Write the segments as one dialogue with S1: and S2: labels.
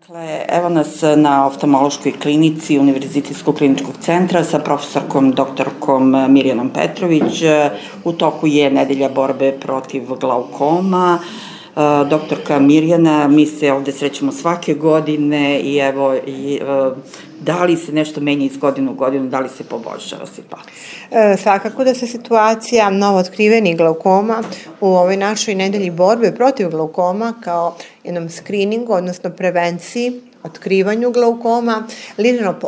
S1: Dakle, evo nas na oftalmološkoj klinici Univerzitetskog kliničkog centra sa profesorkom doktorkom Mirjanom Petrović. U toku je nedelja borbe protiv glaukoma. Doktorka Mirjana, mi se ovde srećemo svake godine i evo, da li se nešto menja iz godine u godinu, da li se poboljšava situacija?
S2: Svakako da se situacija novootkrivenih glaukoma u ovoj našoj nedelji borbe protiv glaukoma kao jednom skriningu, odnosno prevenciji, otkrivanju glaukoma,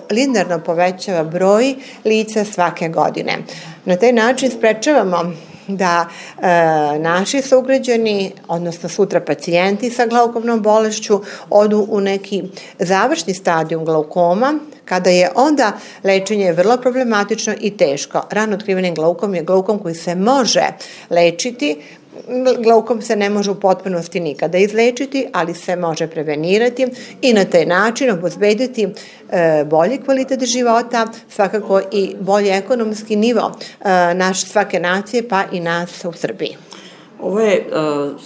S2: linearno povećava broj lica svake godine. Na taj način sprečavamo da naši sugrađani, odnosno sutra pacijenti sa glaukomnom bolešću, odu u neki završni stadijum glaukoma, kada je onda lečenje vrlo problematično i teško. Rano otkriveni glaukom je glaukom koji se može lečiti. Glaukom se ne može u potpunosti nikada izlečiti, ali se može prevenirati i na taj način obezbediti bolji kvalitet života, svakako i bolji ekonomski nivo svake nacije, pa i nas u Srbiji.
S1: Ovo je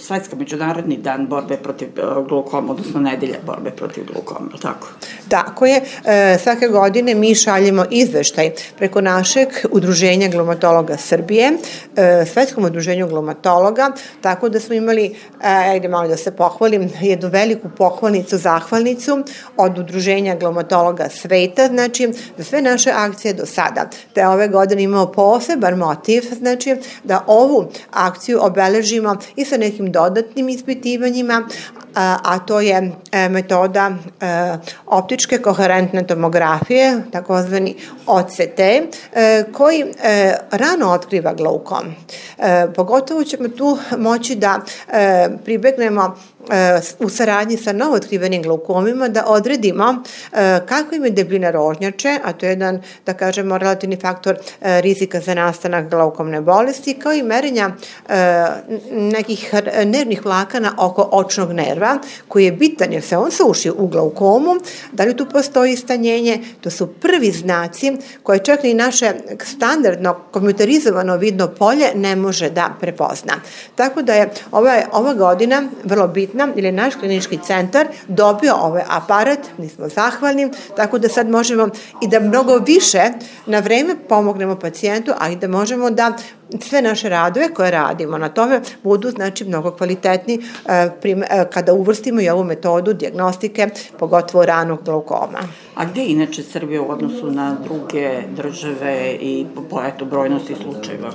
S1: Svetska međunarodni dan borbe protiv glaukoma, odnosno nedelja borbe protiv glaukoma, je li tako?
S2: Tako je. Svake godine mi šaljemo izveštaj preko našeg udruženja glaumatologa Srbije, Svetskom udruženju glaumatologa, tako da smo imali, ajde malo da se pohvalim, jednu veliku pohvalnicu, zahvalnicu od udruženja glaumatologa sveta, znači za sve naše akcije do sada. Te ove godine imamo poseban motiv, znači da ovu akciju obeležimo i sa nekim dodatnim ispitivanjima, a to je metoda optičke koherentne tomografije, takozvani OCT, koji rano otkriva glaukom. Pogotovo ćemo tu moći da pribegnemo u saradnji sa novootkrivenim glaukomima da odredimo kako im je debljina rožnjače, a to je jedan, da kažemo, relativni faktor rizika za nastanak glaukomne bolesti, kao i merenja nekih nervnih vlakana oko očnog nerva, koji je bitan jer se on suši u glaukomu. Da li tu postoji stanjenje? To su prvi znaci koje čak i naše standardno kompjuterizovano vidno polje ne može da prepozna. Tako da je ova godina vrlo bitna, ili naš klinički centar dobio ovaj aparat, mi smo zahvalni, tako da sad možemo i da mnogo više na vreme pomognemo pacijentu, a i da možemo da sve naše radove koje radimo na tome budu, znači, mnogo kvalitetni kada uvrstimo i ovu metodu dijagnostike, pogotovo ranog glaukoma.
S1: A gde je inače Srbija u odnosu na druge države i po brojnosti slučajeva?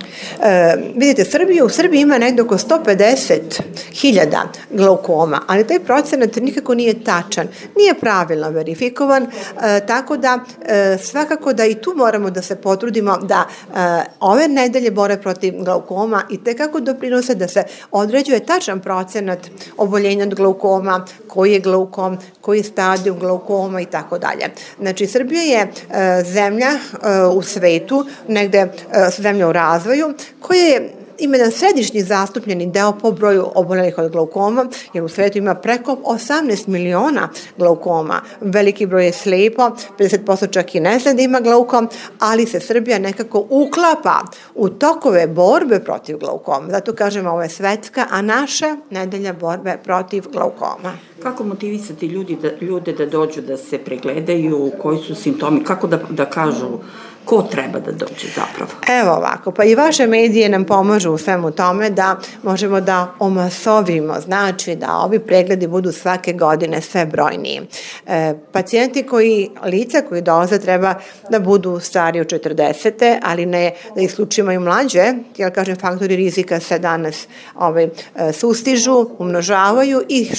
S2: Vidite, u Srbiji ima negde oko 150.000 glaukoma, ali taj procenat nikako nije tačan, nije pravilno verifikovan, tako da svakako da i tu moramo da se potrudimo da ove nedelje borbe protiv glaukoma i tekako doprinose da se određuje tačan procenat oboljenja od glaukoma, koji je glaukom, koji je stadijum glaukoma i tako dalje. Znači, Srbija je zemlja u svetu, negde zemlja u razvoju, koja je ima jedan središnji zastupljeni deo po broju obolelih od glaukoma, jer u svetu ima preko 18 miliona glaukoma. Veliki broj je slepo, 50% čak i ne zna da ima glaukom, ali se Srbija nekako uklapa u tokove borbe protiv glaukoma. Zato kažemo, ovo je svetska, a naša nedelja borbe protiv glaukoma.
S1: Kako motivisati ljude da dođu da se pregledaju, koji su simptomi, kako da kažu ko treba da dođe zapravo?
S2: Evo ovako, pa i vaše medije nam pomažu u svemu tome da možemo da omasovimo, znači da ovi pregledi budu svake godine sve brojniji. Pacijenti lica koji dolaze treba da budu stari od 40. ali ne da isključimo i mlađe, jer kažem, faktori rizika se danas sustižu, umnožavaju i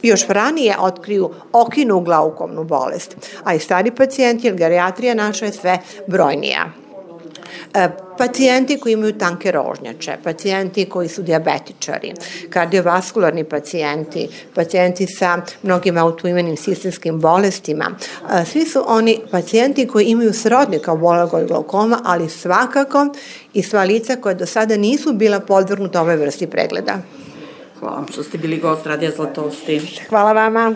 S2: još ranije otkriju okinu glaukomnu bolest, a i stari pacijenti, jer gerijatrija naša je sve brojnija. Pacijenti koji imaju tanke rožnjače, pacijenti koji su dijabetičari, kardiovaskularni pacijenti sa mnogim autoimunim sistemskim bolestima, svi su oni pacijenti koji imaju srodnika obolelog od glaukoma, ali svakako i sva lica koja do sada nisu bila podvrgnuta ovoj vrsti pregleda.
S1: Hvala vam što ste bili gost Radija Zlatosti.
S2: Hvala vama.